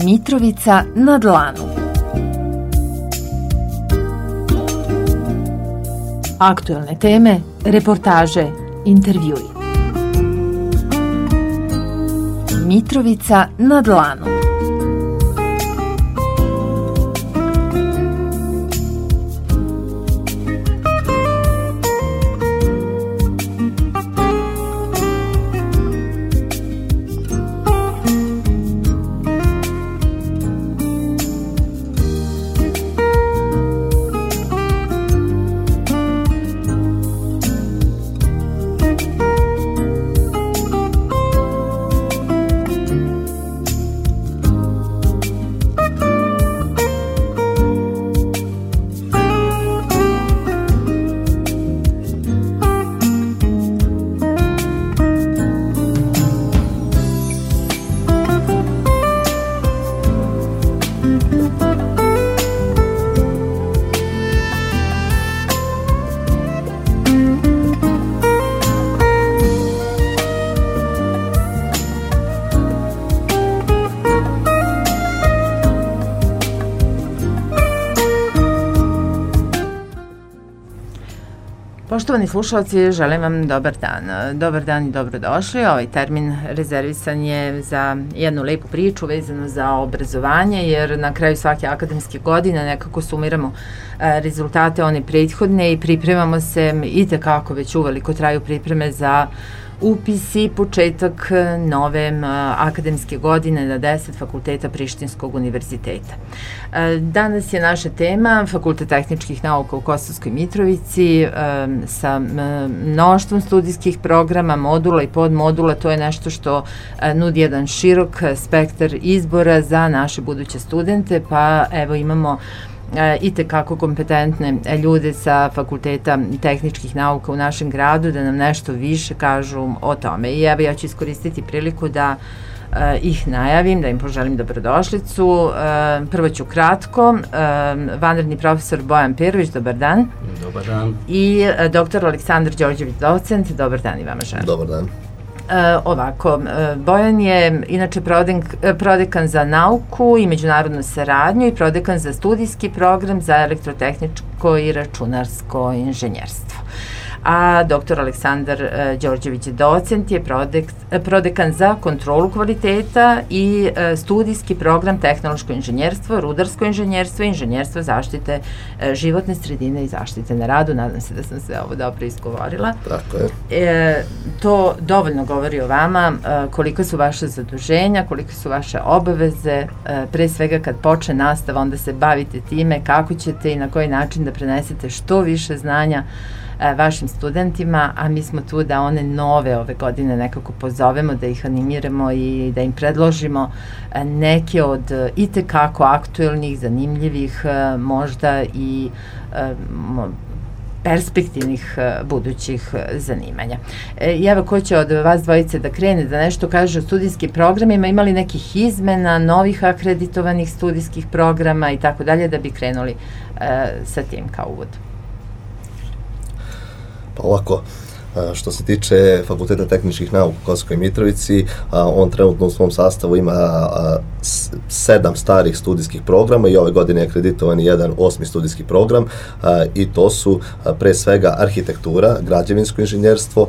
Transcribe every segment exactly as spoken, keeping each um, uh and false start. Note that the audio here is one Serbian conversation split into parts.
Mitrovica na dlanu. Aktuelne teme, reportaže, intervjui. Mitrovica na dlanu. Poštovani slušalci, želim vam dobar dan. Dobar dan i dobrodošli. Ovaj termin rezervisan je za jednu lepu priču vezanu za obrazovanje, jer na kraju svake akademske godine nekako sumiramo rezultate one prethodne i pripremamo se, i tekako već uveliko traju pripreme za upis i početak nove akademske godine na deset fakulteta Prištinskog univerziteta. Danas je naša tema Fakultet tehničkih nauka u Kosovskoj Mitrovici sa mnoštvom studijskih programa, modula i podmodula. To je nešto što nudi jedan širok spektar izbora za naše buduće studente, pa evo imamo i tekako kompetentne ljude sa Fakulteta tehničkih nauka u našem gradu da nam nešto više kažu o tome. I evo ja ću iskoristiti priliku da uh, ih najavim, da im poželim dobrodošlicu. Uh, prvo ću kratko. Uh, vanredni profesor Bojan Perović, dobar dan. Dobar dan. I uh, doktor Aleksandar Đorđević, docent, dobar dan i vama želim. Dobar dan. Uh, ovako, uh, Bojan je inače prodek, prodekan za nauku i međunarodnu saradnju i prodekan za studijski program za elektrotehničko i računarsko inženjerstvo. A doktor Aleksandar uh, Đorđević docent je prodek, prodekan za kontrolu kvaliteta i uh, studijski program tehnološko inženjerstvo, rudarsko inženjerstvo i inženjerstvo zaštite uh, životne sredine i zaštite na radu. Nadam se da sam sve ovo dobro izgovorila. Tako je. E, to dovoljno govori o vama, uh, koliko su vaše zaduženja, koliko su vaše obaveze, uh, pre svega kad počne nastava, onda se bavite time kako ćete i na koji način da prenesete što više znanja vašim studentima, a mi smo tu da one nove ove godine nekako pozovemo, da ih animiramo i da im predložimo neke od itekako aktuelnih, zanimljivih, možda i perspektivnih budućih zanimanja. I evo, ko će od vas dvojice da krene, da nešto kaže o studijskim programima, imali nekih izmena, novih akreditovanih studijskih programa i tako dalje, da bi krenuli sa tim kao uvod. Pa ovako, što se tiče Fakulteta tehničkih nauka u Kosovskoj Mitrovici, on trenutno u svom sastavu ima sedam starih studijskih programa i ove godine je akreditovan jedan osmi studijski program i to su pre svega arhitektura, građevinsko inženjerstvo,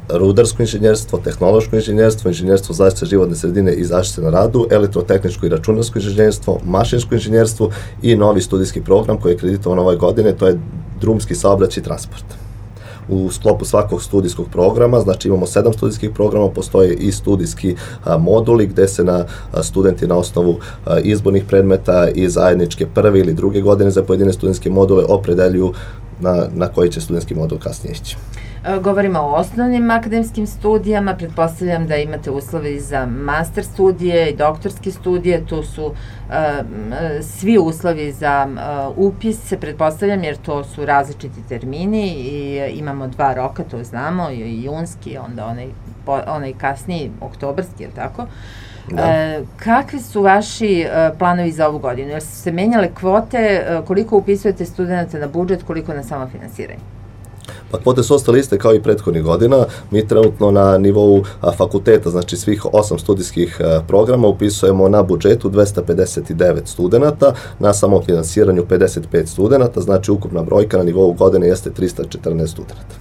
rudarsko inženjerstvo, tehnološko inženjerstvo, inženjerstvo zaštite životne sredine i zaštite na radu, elektrotehničko i računarsko inženjerstvo, mašinsko inženjerstvo i novi studijski program koji je akreditovan ove godine, to je drumski saobraćaj i transport. U sklopu svakog studijskog programa, znači imamo sedam studijskih programa, postoje i studijski a, moduli gde se na a, studenti na osnovu a, izbornih predmeta i zajedničke prve ili druge godine za pojedine studentske module opredeljuju na, na koji će studentski modul kasnije ići. Govorimo o osnovnim akademskim studijama, pretpostavljam da imate uslove i za master studije i doktorske studije, tu su uh, svi uslovi za uh, upis, pretpostavljam, jer to su različiti termini i imamo dva roka, to znamo, i junski, onda onaj, onaj kasniji, oktobarski, je li tako? Da. E, kakvi su vaši e, planovi za ovu godinu? Jer su se menjale kvote, e, koliko upisujete studenta na budžet, koliko na samofinansiranje? Pa kvote su ostale iste kao i prethodnih godina. Mi trenutno na nivou a, fakulteta, znači svih osam studijskih a, programa upisujemo na budžetu dvesta pedeset devet studenata, na samom finansiranju pedeset pet studenata, znači ukupna brojka na nivou godine jeste trista četrnaest studenata.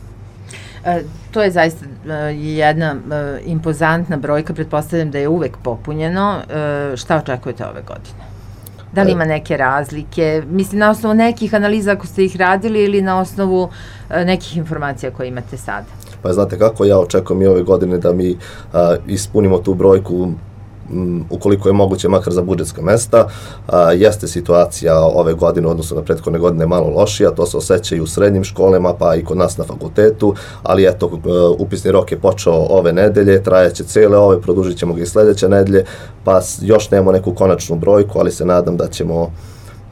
E, to je zaista e, jedna e, impozantna brojka, pretpostavljam da je uvek popunjeno. E, šta očekujete ove godine? Da li ima neke razlike? Mislim, na osnovu nekih analiza ako ste ih radili ili na osnovu e, nekih informacija koje imate sada? Pa znate kako, ja očekujem i ove godine da mi a, ispunimo tu brojku m, ukoliko je moguće makar za budžetska mesta. A, jeste situacija ove godine, odnosno na prethodne godine, malo lošija, to se osjeća i u srednjim školama, pa i kod nas na fakultetu, ali eto, upisni rok je počeo ove nedelje, trajaće cele ove, produžit ćemo ga i sledeće nedelje, pa još nemamo neku konačnu brojku, ali se nadam da ćemo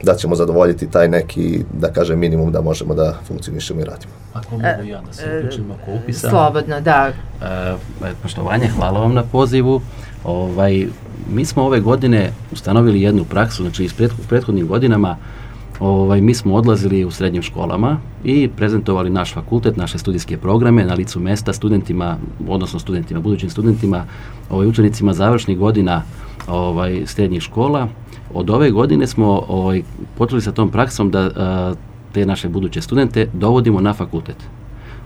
da ćemo zadovoljiti taj neki, da kažem, minimum da možemo da funkcionišemo i radimo. Ako mogu ja da se uključim oko upisa. Slobodno, da. E, poštovanje, hvala vam na pozivu. Ovaj, mi smo ove godine ustanovili jednu praksu, znači iz prethodnim godinama ovaj, mi smo odlazili u srednjim školama i prezentovali naš fakultet, naše studijske programe na licu mesta studentima, odnosno studentima, budućim studentima, ovaj, učenicima završnih godina ovaj, srednjih škola. Od ove godine smo ovaj, počeli sa tom praksom da a, te naše buduće studente dovodimo na fakultet.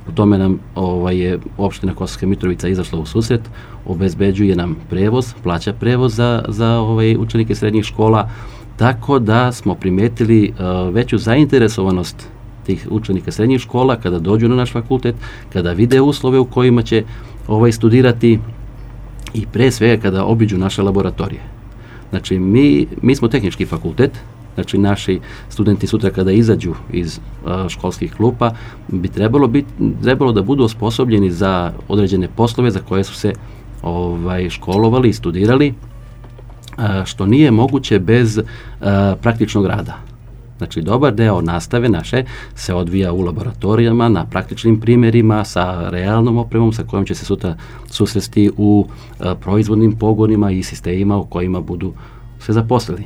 U tome nam ovaj, je opština Kosovska Mitrovica izašla u susret, obezbeđuje nam prevoz, plaća prevoz za, za ovaj, učenike srednjih škola, tako da smo primetili uh, veću zainteresovanost tih učenika srednjih škola kada dođu na naš fakultet, kada vide uslove u kojima će ovaj, studirati i pre svega kada obiđu naše laboratorije. Znači, mi, mi smo tehnički fakultet, znači naši studenti sutra kada izađu iz uh, školskih klupa bi trebalo, bit, trebalo da budu osposobljeni za određene poslove za koje su se ovaj, školovali i studirali, uh, što nije moguće bez uh, praktičnog rada. Znači, dobar deo nastave naše se odvija u laboratorijama, na praktičnim primjerima, sa realnom opremom sa kojom će se sutra susresti u uh, proizvodnim pogonima i sistemima u kojima budu se zaposlili.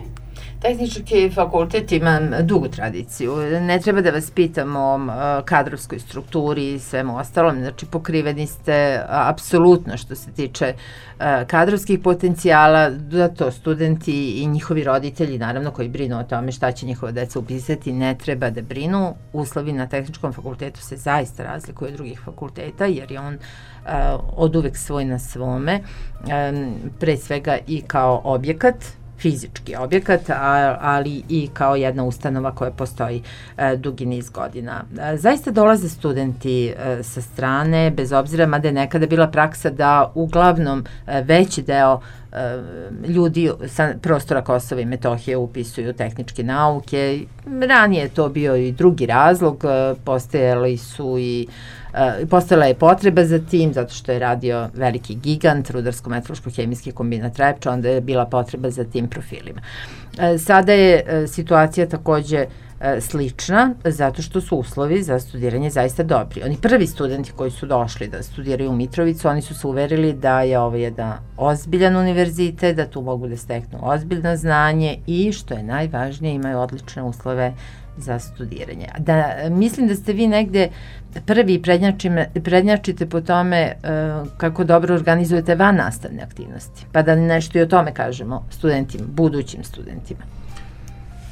Tehnički fakultet ima dugu tradiciju. Ne treba da vas pitam o kadrovskoj strukturi i svemu ostalom. Znači, pokriveni ste apsolutno što se tiče kadrovskih potencijala, da to studenti i njihovi roditelji, naravno, koji brinu o tome šta će njihova deca upisati, ne treba da brinu. Uslovi na tehničkom fakultetu se zaista razlikuju od drugih fakulteta, jer je on od uvek svoj na svome, pre svega i kao objekat, fizički objekat, a, ali i kao jedna ustanova koja postoji e, dugi niz godina. E, zaista dolaze studenti e, sa strane, bez obzira, mada je nekada bila praksa da uglavnom e, veći deo e, ljudi sa prostora Kosova i Metohije upisuju tehničke nauke. Ranije je to bio i drugi razlog, e, postojali su i Uh, postojala je potreba za tim, zato što je radio veliki gigant, rudarsko-metalurško-hemijski kombinat Trepča, onda je bila potreba za tim profilima. Uh, sada je uh, situacija takođe uh, slična, zato što su uslovi za studiranje zaista dobri. Oni prvi studenti koji su došli da studiraju u Mitrovicu, oni su se uverili da je ovo jedan ozbiljan univerzitet, da tu mogu da steknu ozbiljno znanje i, što je najvažnije, imaju odlične uslove za studiranje. Da, mislim da ste vi negde prvi prednjačite po tome uh, kako dobro organizujete van nastavne aktivnosti. Pa da nešto i o tome kažemo studentima, budućim studentima.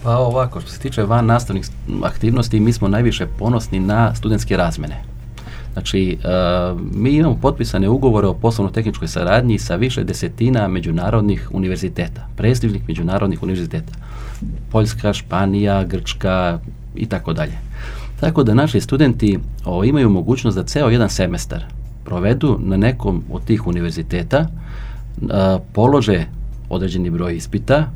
Pa ovako, što se tiče van nastavnih aktivnosti, mi smo najviše ponosni na studentske razmene. Znači, uh, mi imamo potpisane ugovore o poslovno-tehničkoj saradnji sa više desetina međunarodnih univerziteta, prestižnih međunarodnih univerziteta. Poljska, Španija, Grčka i tako dalje. Tako da naši studenti o, imaju mogućnost da ceo jedan semestar provedu na nekom od tih univerziteta, a, polože određeni broj ispita,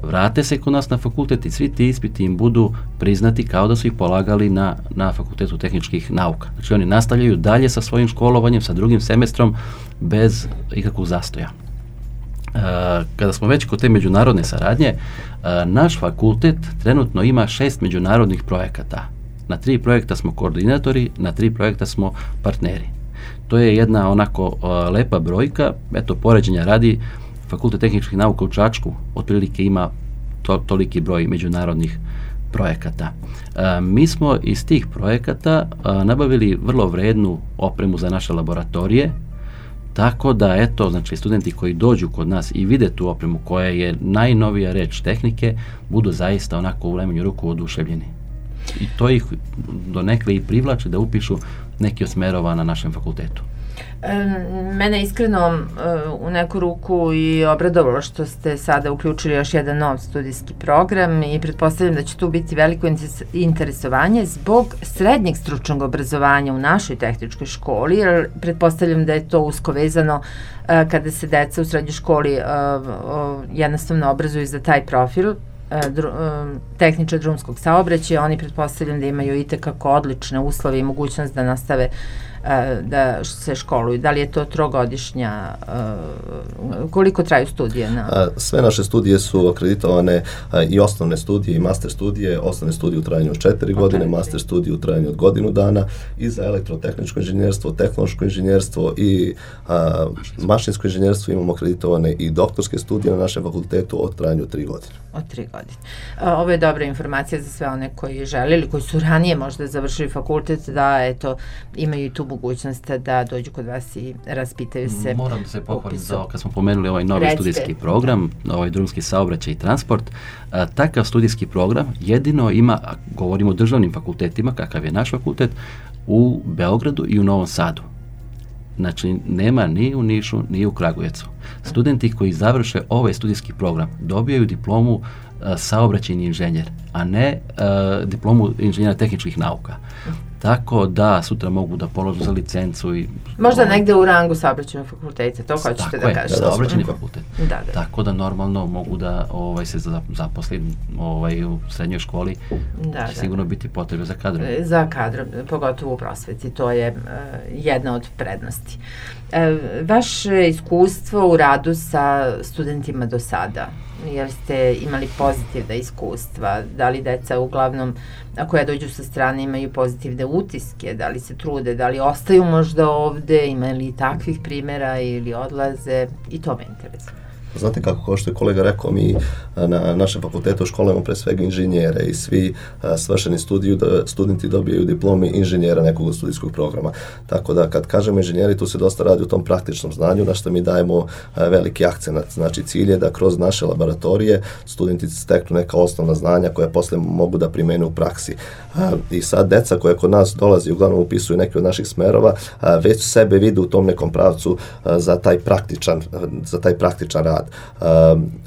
vrate se kod nas na fakultet i svi ti ispiti im budu priznati kao da su ih polagali na, na Fakultetu tehničkih nauka. Znači, oni nastavljaju dalje sa svojim školovanjem, sa drugim semestrom, bez ikakvog zastoja. Uh, kada smo već kod te međunarodne saradnje, uh, naš fakultet trenutno ima šest međunarodnih projekata. Na tri projekta smo koordinatori, na tri projekta smo partneri. To je jedna onako uh, lepa brojka. Eto, poređenja radi, Fakultet tehničkih nauka u Čačku otprilike ima to, toliki broj međunarodnih projekata. A, mi smo iz tih projekata a, nabavili vrlo vrednu opremu za naše laboratorije, tako da, eto, znači, studenti koji dođu kod nas i vide tu opremu koja je najnovija reč tehnike, budu zaista onako u najmanju ruku oduševljeni. I to ih donekle i privlači da upišu neki od smerova na našem fakultetu. Mene iskreno u neku ruku i obradovalo što ste sada uključili još jedan nov studijski program i pretpostavljam da će tu biti veliko interesovanje zbog srednjeg stručnog obrazovanja u našoj tehničkoj školi, jer pretpostavljam da je to usko vezano kada se deca u srednjoj školi jednostavno obrazuju za taj profil tehničar drumskog saobraćaja. Oni pretpostavljam da imaju i tekako odlične uslove i mogućnost da nastave da se školuju. Da li je to trogodišnja, koliko traju studije? Na... Sve naše studije su akreditovane i osnovne studije i master studije, osnovne studije u trajanju od četiri godine, master studije u trajanju od godinu dana i za elektrotehničko inženjerstvo, tehnološko inženjerstvo i a, mašinsko inženjerstvo imamo akreditovane i doktorske studije na našem fakultetu od trajanju tri godine. Od tri godine. A, ovo je dobra informacija za sve one koji žele ili koji su ranije možda završili fakultet, da eto, imaju tu mogućnost da dođu kod vas i raspitaju se. Moram da se pohvalim za, kad smo pomenuli ovaj novi Recite. studijski program, ovaj drumski saobraćaj i transport, a, takav studijski program jedino ima, govorimo o državnim fakultetima, kakav je naš fakultet, u Beogradu i u Novom Sadu. Znači, nema ni u Nišu, ni u Kragujevcu. Studenti koji završe ovaj studijski program dobijaju diplomu a, saobraćajni inženjer, a ne a, diplomu inženjera tehničkih nauka. Tako da sutra mogu da položu za licencu i... Možda ovaj, negde u rangu saobraćajnog fakulteta, to hoćete da kažete. Tako je, saobraćajni fakultet. Da, da. Tako da normalno mogu da ovaj, se zaposli ovaj, u srednjoj školi, da, će da, sigurno biti potrebe za kadrom. Za kadrom, pogotovo u prosveti, to je uh, jedna od prednosti. Uh, vaše iskustvo u radu sa studentima do sada, jer ste imali pozitivna iskustva, da li deca uglavnom, ako ja dođu sa strane, imaju pozitivne utiske, da li se trude, da li ostaju možda ovde, ima li takvih primjera ili odlaze, i to me interesuje. Znate kako, kao što je kolega rekao, mi na našem fakultetu školujemo pre svega inženjere i svi a, svršeni studiju, da, studenti dobijaju diplomi inženjera nekog studijskog programa. Tako da kad kažemo inženjeri, tu se dosta radi o tom praktičnom znanju, na što mi dajemo a, veliki akcenat. Znači cilj je da kroz naše laboratorije studenti steknu neka osnovna znanja koja posle mogu da primene u praksi. A, I sad deca koja kod nas dolazi, uglavnom upisuju neke od naših smerova, a, već sebe vide u tom nekom pravcu a, za taj praktičan, a, za taj praktičan rad. Uh,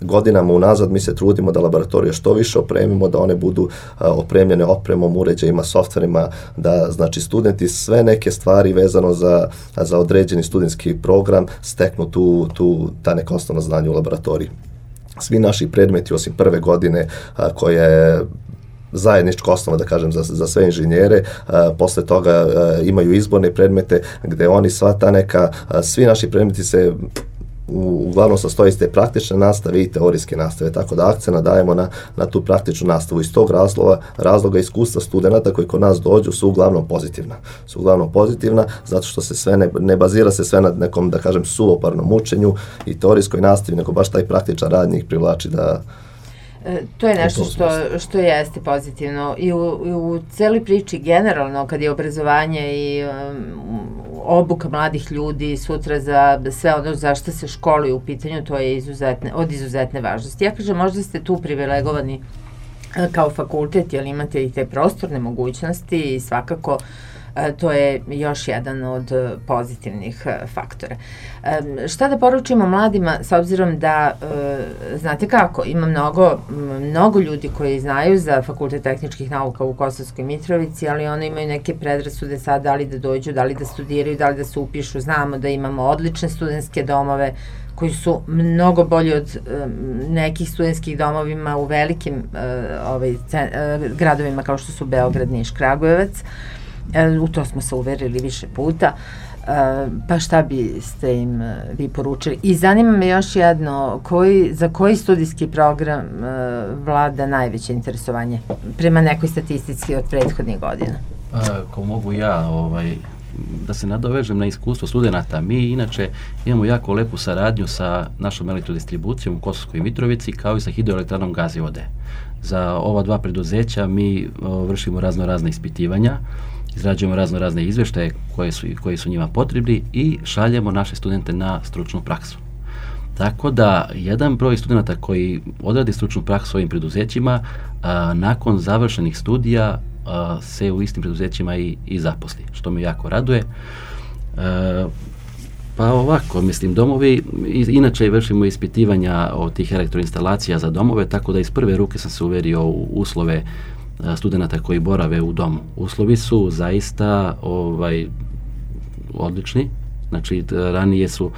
godinama unazad mi se trudimo da laboratorije što više opremimo, da one budu uh, opremljene opremom, uređajima, softverima, da znači studenti sve neke stvari vezano za, za određeni studentski program steknu tu, tu ta neka osnovna znanja u laboratoriji. Svi naši predmeti osim prve godine uh, koje zajednička osnova, da kažem, za, za sve inženjere, a, posle toga a, imaju izborne predmete gde oni sva ta neka, a, svi naši predmeti se U, uglavnom sastoji iz te praktične nastave i teorijske nastave, tako da akcena dajemo na, na tu praktičnu nastavu. Iz tog razloga, razloga iskustva studenta koji kod nas dođu su uglavnom pozitivna. Su uglavnom pozitivna zato što se sve ne, ne bazira se sve na nekom, da kažem, suvoparnom učenju i teorijskoj nastavi, nego baš taj praktičan rad njih privlači da... E, to je nešto što, što jeste pozitivno i u, u celoj priči generalno kad je obrazovanje i um, obuka mladih ljudi sutra za sve ono za što se školuju u pitanju, to je izuzetne, od izuzetne važnosti. Ja kažem, možda ste tu privilegovani kao fakultet, jer imate i te prostorne mogućnosti i svakako to je još jedan od pozitivnih faktora. Šta da poručimo mladima, s obzirom da, znate kako, ima mnogo, mnogo ljudi koji znaju za Fakultet tehničkih nauka u Kosovskoj Mitrovici, ali oni imaju neke predrasude sad, da li da dođu, da li da studiraju, da li da se upišu. Znamo da imamo odlične studentske domove koji su mnogo bolji od um, nekih studentskih domovima u velikim uh, ovaj, cen, uh, gradovima kao što su Beograd, Niš, Kragujevac. Uh, u to smo se uverili više puta. Uh, pa šta biste im uh, vi poručili? I zanima me još jedno, koji, za koji studijski program uh, vlada najveće interesovanje prema nekoj statistici od prethodnih godina? Ako mogu ja ovaj, da se nadovežem na iskustvo studenta, mi inače imamo jako lepu saradnju sa našom elektrodistribucijom u Kosovskoj Mitrovici kao i sa hidroelektranom Gazivode. za ova dva preduzeća mi o, vršimo razno razne ispitivanja, izrađujemo razno razne izvještaje koje su, koji su njima potrebni i šaljemo naše studente na stručnu praksu. Tako da jedan broj studenta koji odradi stručnu praksu u ovim preduzećima a, nakon završenih studija a, se u istim preduzećima i, i zaposli, što me jako raduje. E, pa ovako, mislim, domovi, inače vršimo ispitivanja od tih elektroinstalacija za domove, tako da iz prve ruke sam se uverio u uslove studenta koji borave u domu. Uslovi su zaista ovaj, odlični, znači ranije su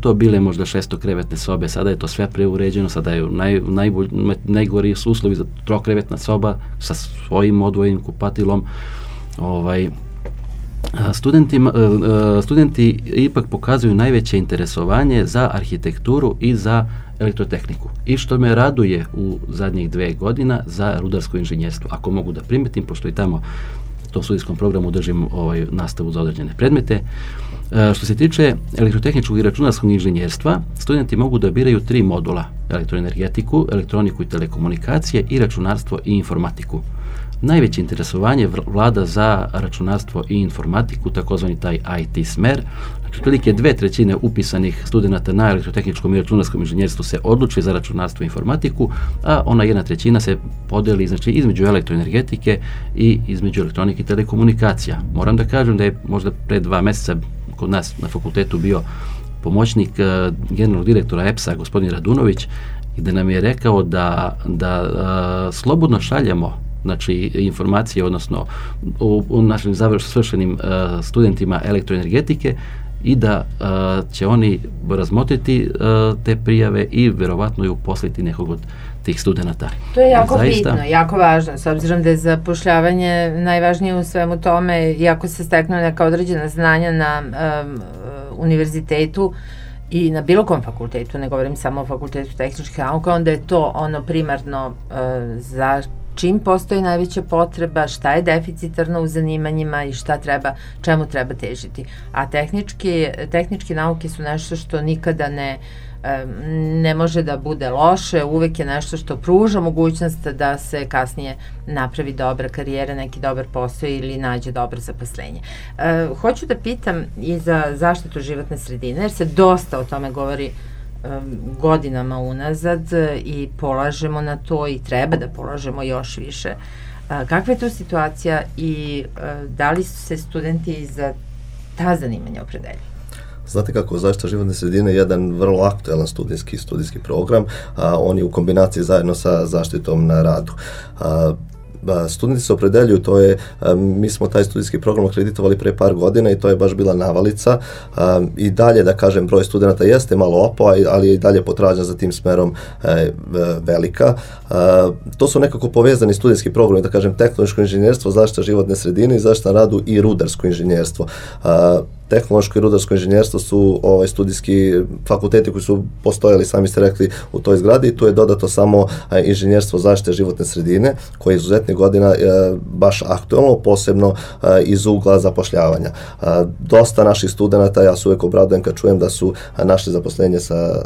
to bile možda šestokrevetne sobe, sada je to sve preuređeno, sada je naj, najbolj, najgori su uslovi za trokrevetna soba sa svojim odvojenim kupatilom. Ovaj, Studenti, studenti ipak pokazuju najveće interesovanje za arhitekturu i za elektrotehniku. I što me raduje u zadnjih dve godina za rudarsko inženjerstvo. Ako mogu da primetim, pošto i tamo u tom studijskom programu držim ovaj, nastavu za određene predmete. E, što se tiče elektrotehničkog i računarskog inženjerstva, studenti mogu da biraju tri modula: elektroenergetiku, elektroniku i telekomunikacije i računarstvo i informatiku. Najveće interesovanje vlada za računarstvo i informatiku, takozvani taj I T smer. Znači, otprilike dve trećine upisanih studenata na elektrotehničkom i računarskom inženjerstvu se odluči za računarstvo i informatiku, a ona jedna trećina se podeli, znači, između elektroenergetike i između elektronike i telekomunikacija. Moram da kažem da je možda pre dva meseca kod nas na fakultetu bio pomoćnik uh, generalnog direktora E P S-a, gospodin Radunović, i da nam je rekao da, da uh, slobodno šaljemo, znači, informacije, odnosno u, u našim završenim uh, studentima elektroenergetike, i da uh, će oni razmotriti uh, te prijave i verovatno i uposliti nekog od tih studenata. To je jako Zaista, bitno, jako važno, s obzirom da je zapošljavanje najvažnije u svemu tome, iako se steknu neka određena znanja na um, univerzitetu i na bilo kom fakultetu, ne govorim samo o fakultetu tehničkih nauka, onda je to ono primarno uh, za čim postoji najveća potreba, šta je deficitarno u zanimanjima i šta treba, čemu treba težiti. A tehnički, tehničke nauke su nešto što nikada ne, ne može da bude loše, uvek je nešto što pruža mogućnost da se kasnije napravi dobra karijera, neki dobar posao ili nađe dobro zaposlenje. E, hoću da pitam i za zaštitu životne sredine, jer se dosta o tome govori godinama unazad i polažemo na to i treba da polažemo još više. Kakva je tu situacija i da li su se studenti za ta zanimanja opredelili? Znate kako, zaštita životne sredine je jedan vrlo aktuelan studijski studijski program, a on je u kombinaciji zajedno sa zaštitom na radu. A, studenti se opredeljuju, to je, mi smo taj studijski program akreditovali pre par godina i to je baš bila navalica. I dalje, da kažem, broj studenta jeste malo opao, ali je i dalje potražnja za tim smerom velika. To su nekako povezani studijski programi, da kažem, tehnološko inženjerstvo, zaštita životne sredine i zaštita na radu i rudarsko inženjerstvo. Tehnološko i rudarsko inženjerstvo su ovaj, studijski fakulteti koji su postojali, sami ste rekli, u toj zgradi, i tu je dodato samo a, inženjerstvo zaštite životne sredine, koje je izuzetne godina a, baš aktuelno, posebno a, iz ugla zapošljavanja. A, dosta naših studenta, ja se uvek obradujem kad čujem da su a, našli zaposlenje sa,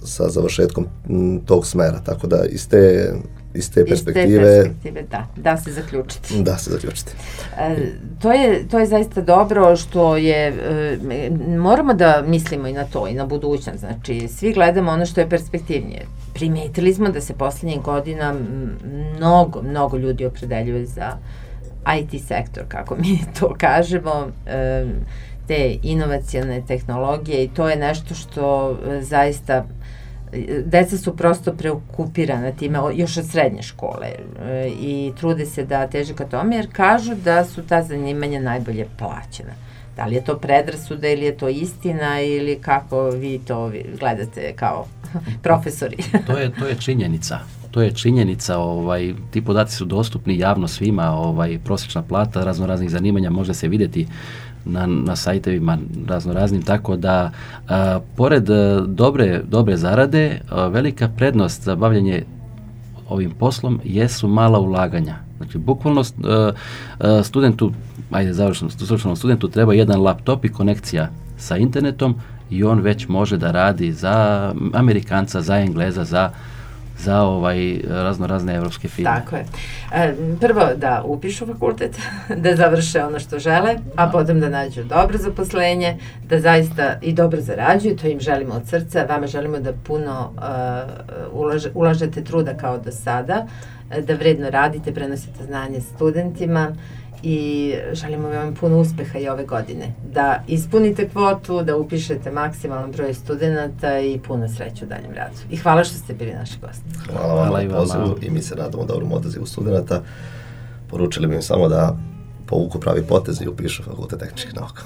sa završetkom m, tog smera, tako da iz te iz te perspektive, iz te perspektive da, da se zaključiti. Da se zaključiti. E, to, je, to je zaista dobro što je, e, moramo da mislimo i na to, i na budućnost, znači svi gledamo ono što je perspektivnije. Primetili smo da se poslednjih godina mnogo, mnogo ljudi opredeljuje za I T sektor, kako mi to kažemo, e, te inovacione tehnologije, i to je nešto što e, zaista deca su prosto preokupirana time još od srednje škole e, i trude se da teže ka tome, jer kažu da su ta zanimanja najbolje plaćena. Da li je to predrasuda ili je to istina, ili kako vi to gledate kao profesori? to je to je činjenica. To je činjenica, ovaj, ti podaci su dostupni javno svima, ovaj, prosječna plata razno raznih zanimanja može se vidjeti na, na sajtovima razno raznim, tako da a, pored a, dobre, dobre zarade, a, velika prednost za bavljanje ovim poslom jesu mala ulaganja. Znači, bukvalno a, a, studentu, ajde završenom stručnom studentu treba jedan laptop i konekcija sa internetom i on već može da radi za Amerikanca, za Engleza, za za ovaj razno razne evropske firme. Tako je. E, prvo da upišu fakultet, da završe ono što žele, a potom da nađu dobro zaposlenje, da zaista i dobro zarađuju, to im želimo od srca, vama želimo da puno uh, ulaže, ulažete truda kao do sada, da vredno radite, prenosite znanje studentima i želimo vam puno uspeha i ove godine. Da ispunite kvotu, da upišete maksimalan broj studenta i puno sreće u daljem radu. I hvala što ste bili naši gosti. Hvala vam Hvala na pozivu i mi se radimo dobrom odazivu studenta. Poručili bi im samo da povuku pravi potez i upišu Fakultet tehničkih nauka.